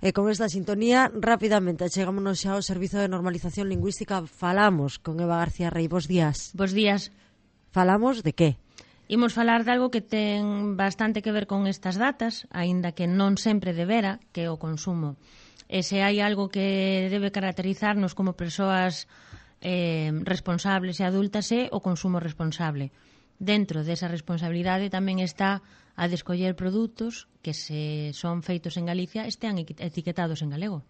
E con esta sintonía, rapidamente, chegámonos xa ao Servizo de Normalización Lingüística. Falamos con Eva García Rey. Bos días. Bos días. Falamos de que? Imos falar de algo que ten bastante que ver con estas datas, aínda que non sempre debera, que é o consumo. E se hai algo que debe caracterizarnos como persoas responsables e adultas é o consumo responsable. Dentro desa responsabilidade tamén está a de escoller produtos que, se son feitos en Galicia, estean etiquetados en galego.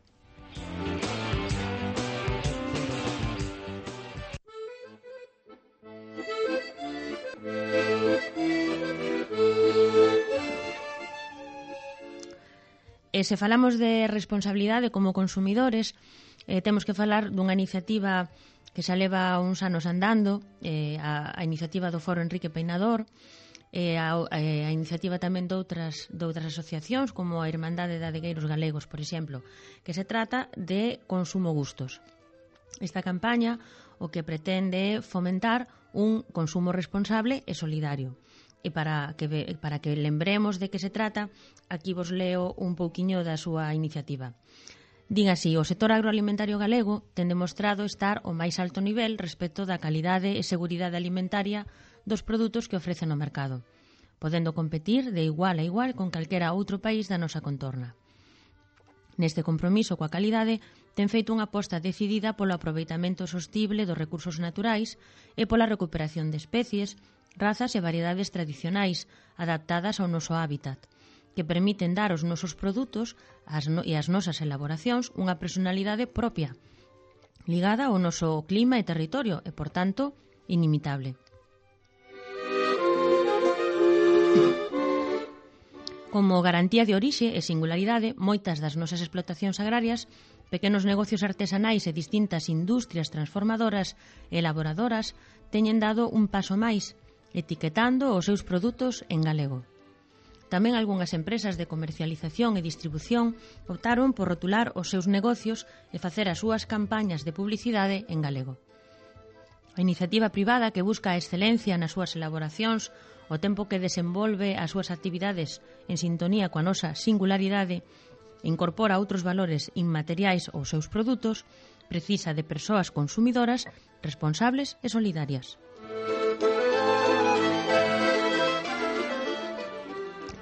E se falamos de responsabilidade como consumidores, temos que falar dunha iniciativa que xa leva uns anos andando, a iniciativa do Foro Enrique Peinador, a iniciativa tamén de outras asociacións, como a Irmandade de Adegueiros Galegos, por exemplo, que se trata de consumo gustos. Esta campaña o que pretende é fomentar un consumo responsable e solidario. E para que lembremos de que se trata, aquí vos leo un pouquiño da súa iniciativa. Din así: o sector agroalimentario galego ten demostrado estar ao máis alto nivel respecto da calidade e seguridade alimentaria dos produtos que ofrecen no mercado, podendo competir de igual a igual con calquera outro país da nosa contorna. Neste compromiso coa calidade, ten feito unha aposta decidida polo aproveitamento sostible dos recursos naturais e pola recuperación de especies, razas e variedades tradicionais adaptadas ao noso hábitat, que permiten dar aos nosos produtos e ás nosas elaboracións unha personalidade propia, ligada ao noso clima e territorio e, por tanto, inimitable. Como garantía de orixe e singularidade, moitas das nosas explotacións agrarias, pequenos negocios artesanais e distintas industrias transformadoras e elaboradoras teñen dado un paso máis, etiquetando os seus produtos en galego. Tamén algunhas empresas de comercialización e distribución optaron por rotular os seus negocios e facer as súas campañas de publicidade en galego. A iniciativa privada que busca a excelencia nas súas elaboracións, o tempo que desenvolve as súas actividades en sintonía coa nosa singularidade, incorpora outros valores inmateriais aos seus produtos, precisa de persoas consumidoras responsables e solidarias.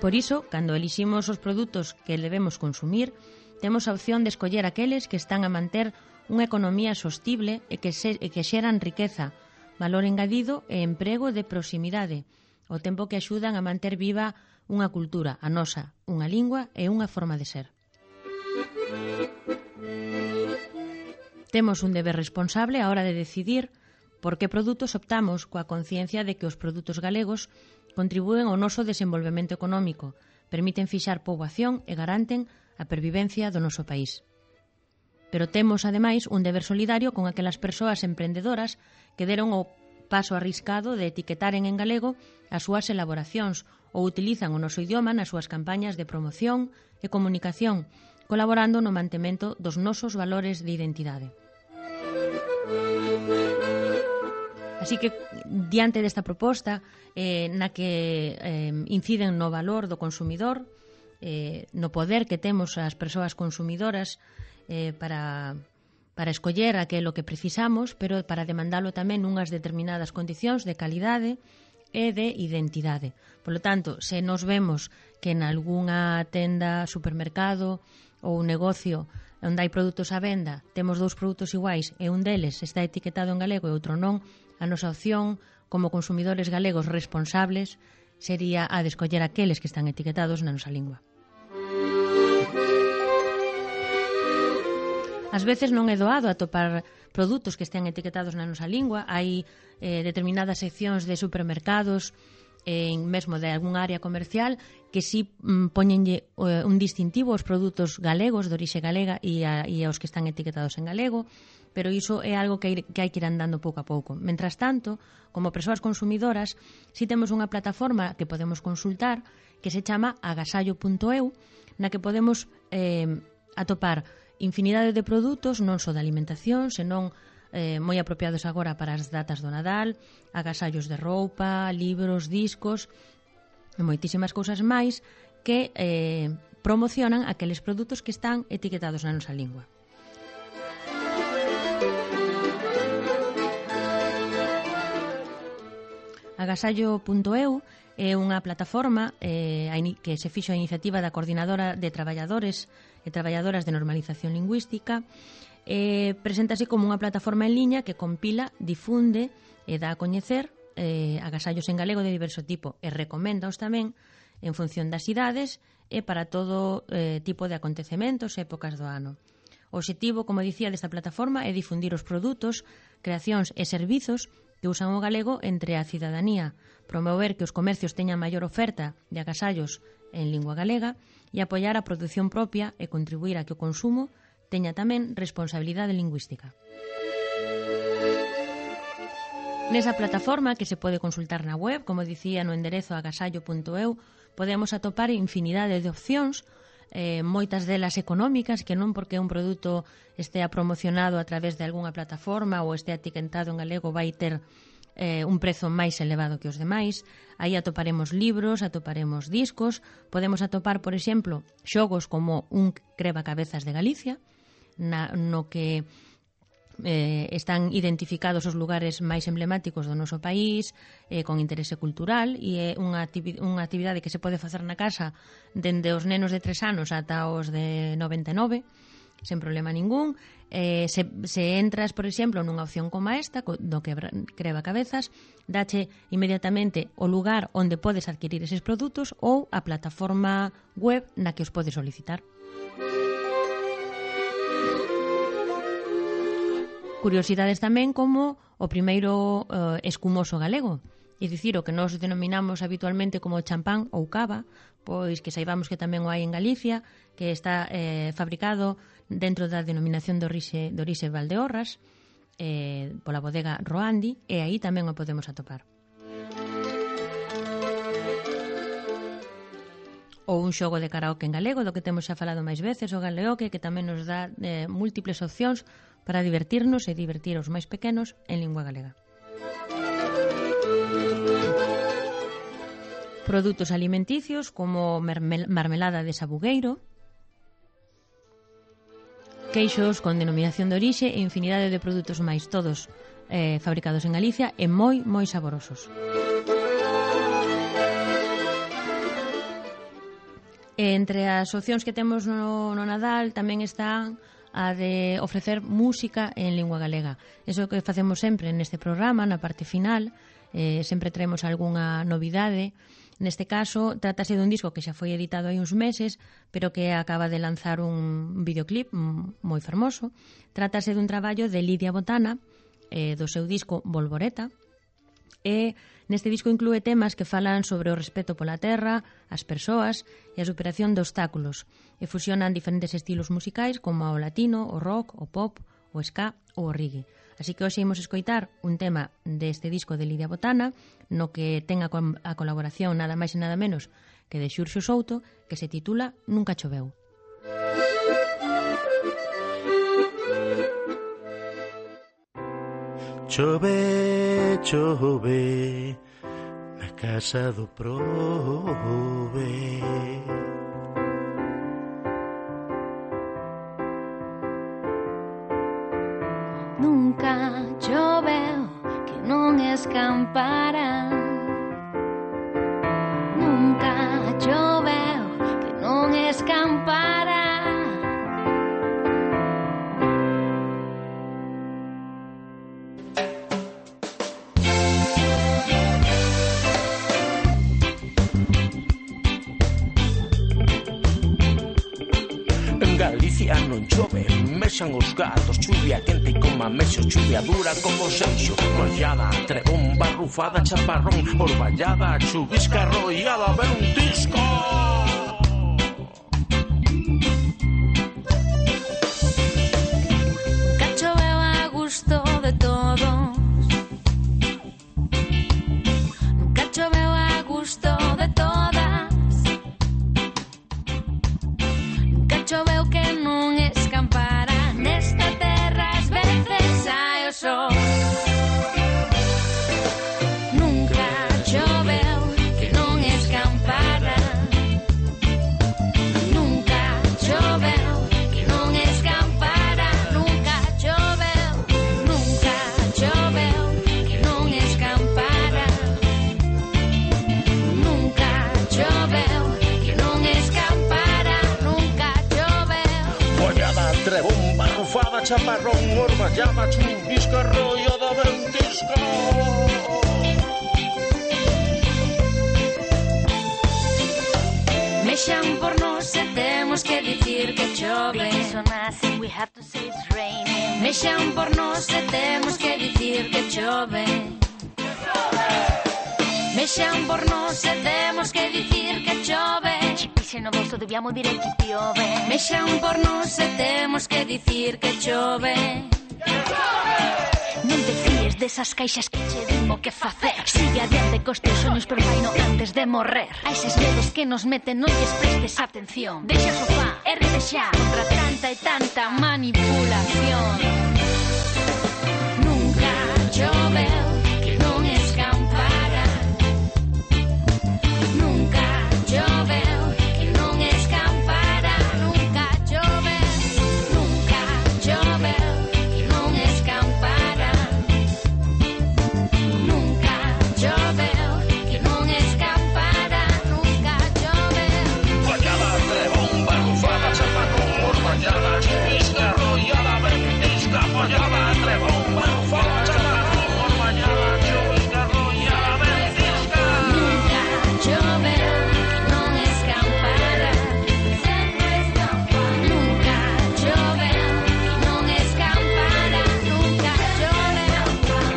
Por iso, cando eliximos os produtos que debemos consumir, temos a opción de escoller aqueles que están a manter unha economía sostible e que xeran riqueza, valor engadido e emprego de proximidade, ao tempo que axudan a manter viva unha cultura, a nosa, unha lingua e unha forma de ser. Temos un deber responsable á hora de decidir por que produtos optamos, coa conciencia de que os produtos galegos contribúen ao noso desenvolvemento económico, permiten fixar poboación e garanten a pervivencia do noso país. Pero temos, ademais, un deber solidario con aquelas persoas emprendedoras que deron o paso arriscado de etiquetaren en galego as súas elaboracións ou utilizan o noso idioma nas súas campañas de promoción e comunicación, colaborando no mantemento dos nosos valores de identidade. Así que, diante desta proposta, na que inciden no valor do consumidor, no poder que temos as persoas consumidoras para escoller aquilo que precisamos, pero para demandalo tamén nunhas determinadas condicións de calidade e de identidade. Por lo tanto, se nos vemos que en algunha tenda, supermercado ou negocio onde hai produtos á venda, temos dous produtos iguais e un deles está etiquetado en galego e outro non, a nosa opción como consumidores galegos responsables sería a de escoller aqueles que están etiquetados na nosa lingua. Ás veces non é doado atopar produtos que estén etiquetados na nosa lingua. Hai determinadas seccións de supermercados, mesmo de algunha área comercial, que si poñenlle un distintivo aos produtos galegos, de orixe galega, e aos que están etiquetados en galego, pero iso é algo que hai que ir andando pouco a pouco. Mentras tanto, como persoas consumidoras, si temos unha plataforma que podemos consultar que se chama agasallo.eu, na que podemos atopar infinidade de produtos, non só de alimentación, senón moi apropiados agora para as datas do Nadal, agasallos de roupa, libros, discos e moitísimas cousas máis que promocionan aqueles produtos que están etiquetados na nosa lingua. Agasallo.eu é unha plataforma que se fixo a iniciativa da Coordinadora de Traballadores e Traballadoras de Normalización Lingüística. Preséntase como unha plataforma en liña que compila, difunde e dá a coñecer agasallos en galego de diverso tipo e recoméndaos tamén en función das idades e para todo tipo de acontecementos e épocas do ano. O obxectivo, como dicía, desta plataforma é difundir os produtos, creacións e servizos que usan o galego entre a cidadanía, promover que os comercios teñan maior oferta de agasallos en lingua galega e apoiar a produción propia e contribuir a que o consumo teña tamén responsabilidade lingüística. Nesa plataforma, que se pode consultar na web, como dicía no enderezo agasallo.eu, podemos atopar infinidade de opcións, moitas delas económicas, que non porque un produto estea promocionado a través de algunha plataforma ou estea etiquetado en galego vai ter un prezo máis elevado que os demais. Aí atoparemos libros, atoparemos discos, podemos atopar, por exemplo, xogos como un Crebacabezas de Galicia, no que están identificados os lugares máis emblemáticos do noso país con interese cultural, e é unha actividade que se pode facer na casa dende os nenos de 3 anos ata os de 99 sen problema ningún. Se entras, por exemplo, nunha opción como esta do que Crebacabezas, dache inmediatamente o lugar onde podes adquirir eses produtos ou a plataforma web na que os podes solicitar. Curiosidades tamén como o primeiro escumoso galego, é dicir, o que nós denominamos habitualmente como champán ou cava, pois que saibamos que tamén o hai en Galicia, que está fabricado dentro da denominación de orixe Valdeorras, pola bodega Roandi, e aí tamén o podemos atopar. Ou un xogo de karaoke en galego, do que temos xa falado máis veces, o Galeoque, que tamén nos dá múltiples opcións para divertirnos e divertir aos máis pequenos en lingua galega. Produtos alimenticios como marmelada de sabugueiro, queixos con denominación de orixe e infinidade de produtos máis, todos fabricados en Galicia e moi, moi saborosos. Entre as opcións que temos no Nadal tamén están a de ofrecer música en lingua galega. Eso que facemos sempre neste programa, na parte final, sempre traemos algunha novidade. Neste caso, trátase dun disco que xa foi editado hai uns meses, pero que acaba de lanzar un videoclip moi fermoso. Trátase dun traballo de Lidia Botana, do seu disco Volvoreta, e neste disco inclúe temas que falan sobre o respeto pola terra, as persoas e a superación de obstáculos, e fusionan diferentes estilos musicais como o latino, o rock, o pop, o ska ou o reggae. Así que hoxe imos escoitar un tema deste disco de Lidia Botana, no que ten a colaboración nada máis e nada menos que de Xurxo Souto, que se titula Nunca choveu. Chove, chove, na casa do prove. Nunca choveu que non escampara. Nunca choveu que non escampara. Galicia non chove, mexan os gatos, chuvia quente como amexo, chuvia dura como seixo, mollada, trebón, barrufada, chaparrón, orballada, chuvisca, arrollada, ver un disco. Nunca choveu a gusto de todos. Nunca choveu a gusto de todas. Nunca choveu que non escampara. Nesta terra ás veces hai o sol. Nunca choveu que non escampara. Nunca chaparrón, orballada, chuvisca, rollada, ventisca. Mexan por nós e temos que dicir que chove. Mexan por nós e temos que dicir que chove. Mexan por nós e temos que dicir que chove. Ci pise no bolso, dobbiamo dire che piove. Mexan por nós e temos que dicir que chove. Non te fíes desas caixas que che dimo que facer. Sigue adiante cos teus soños, pero faino antes de morrer. A eses dedos que nos meten non lles prestes atención. Deixa o sofá, ergue xa Contra tanta e tanta manipulación. Nunca choveu que non escampara. Nunca choveu que non escampara. Nunca choveu, nunca choveu que non escampara. Nunca choveu que non escampara. Nunca choveu. Fallada, trebón, barrufada, chaparrón, orballada, chuvisca, rollada, ventisca. Fallada, trebón, barrufada, chaparrón, orballada, chuvisca, rollada, ventisca. Nunca choveu que non escampara. Sempre escampara. Nunca choveu que non escampara. Nunca choveu.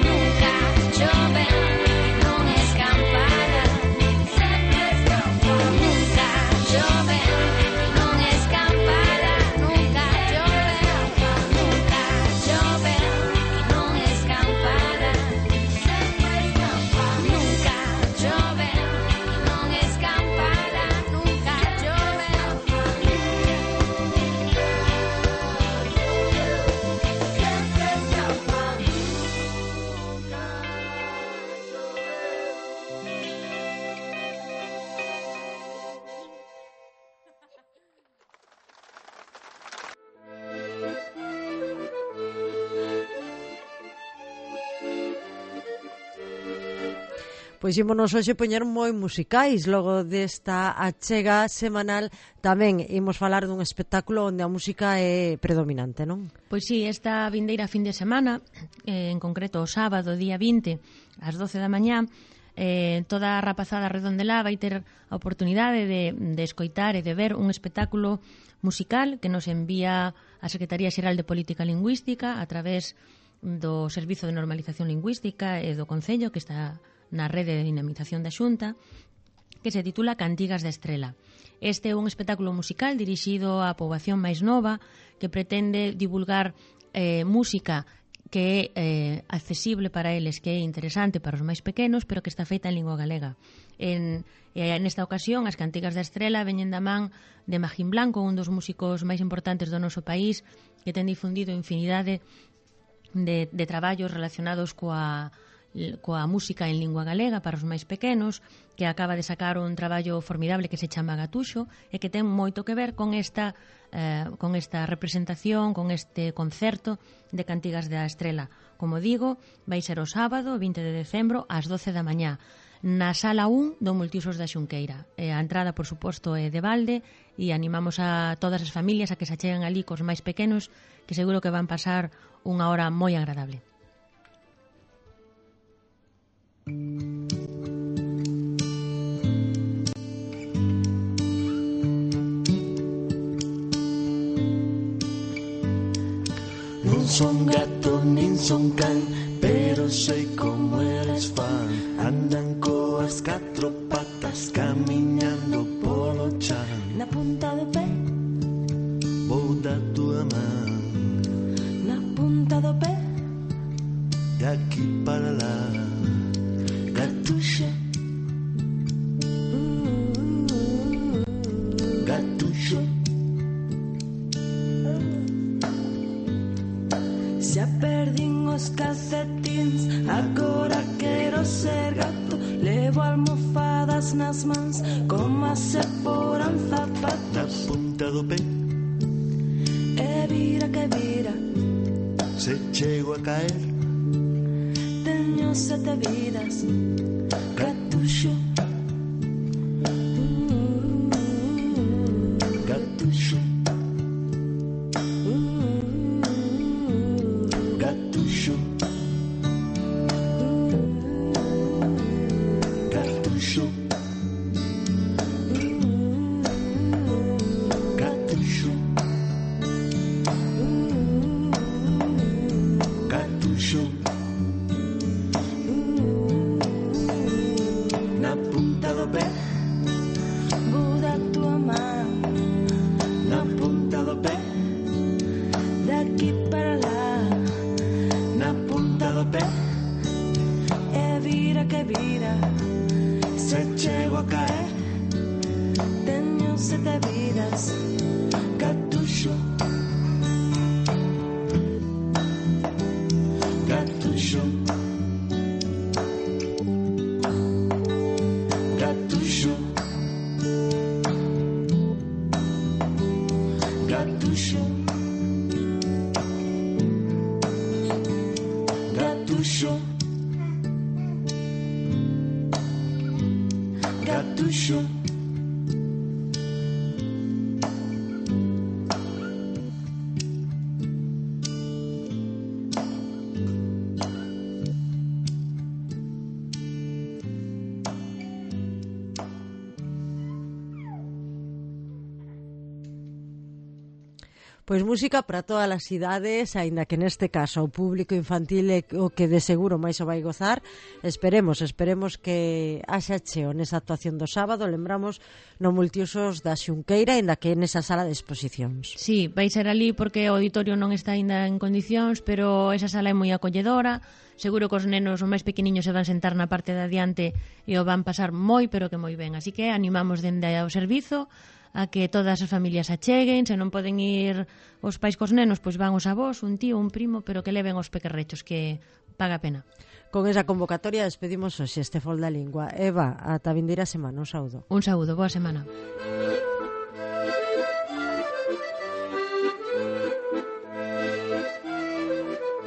Nunca choveu que non escampara. Sempre escampara. Nunca choveu que non escampara. Nunca choveu. Nunca choveu que non escampara. Sempre escampara. Nunca choveu que non escampara. Nunca choveu. Sempre escampara. Pois ímonos hoxe poñer moi musicais. Logo desta achega semanal tamén imos falar dun espectáculo onde a música é predominante, non? Pois sí, esta vindeira fin de semana, en concreto o sábado, día 20, ás 12 da mañá, toda a rapazada redondelá vai ter a oportunidade de escoitar e de ver un espectáculo musical que nos envía a Secretaría Xeral de Política Lingüística a través do Servizo de Normalización Lingüística e do Concello, que está na rede de dinamización da Xunta, que se titula Cantigas da Estrela. Este é un espectáculo musical dirixido á poboación máis nova que pretende divulgar música que é accesible para eles, que é interesante para os máis pequenos, pero que está feita en lingua galega. Nesta ocasión, as Cantigas da Estrela veñen da man de Magín Blanco, un dos músicos máis importantes do noso país, que ten difundido infinidade de traballos relacionados coa música en lingua galega para os máis pequenos, que acaba de sacar un traballo formidable que se chama Gatuxo e que ten moito que ver con esta representación, con este concerto de Cantigas da Estrela. Como digo, vai ser o sábado, 20 de decembro, ás 12 da mañá, na sala 1 do Multiusos da Xunqueira. A entrada, por suposto, é de balde e animamos a todas as familias a que se acheguen ali cos máis pequenos, que seguro que van pasar unha hora moi agradable. Non son gato nin son can, pero sei como eles fan. Andan coas 4 patas camiñando polo chan. Na punta do pé, Vou da tua man, na punta do pé, de aquí para lá. Gatuxo. Gatuxo. Xa perdín os calcetins, agora quero ser gato. Levo almofadas nas mans, como se foran Na zapatos. punta do pé, E vira que vira, se chego a caer. teño 7 vidas. Gatuxo. Gatuxo. Cartucho. Cartucho. Cartucho. Cartucho. Na punta do pé. Buda tua man. Na punta do pé. Daqui para lá. Na punta do pé. E vira que vira. Se chego a caer. Teño 7 vidas. Cartucho. Cartucho. Cartucho. Cartucho. Cartucho. Cartucho. Pois música para todas as idades, aínda que neste caso o público infantil é o que de seguro máis o vai gozar. Esperemos que haxa cheo nesa actuación do sábado. Lembramos no Multiusos da Xunqueira, aínda que nesa sala de exposicións. Sí, vai ser ali porque o auditorio non está aínda en condicións, pero esa sala é moi acolledora. Seguro que os nenos os máis pequeniños se van sentar na parte de adiante e o van pasar moi, pero que moi ben. Así que animamos dende ao servizo a que todas as familias acheguen. Se non poden ir os pais cos nenos, pois van os avós, un tío, un primo, pero que leven os pequerrechos, que paga a pena. Con esa convocatoria despedimos hoxe este Fol da Lingua. Eva, ata a vindeira semana, un saúdo. Un saúdo, boa semana.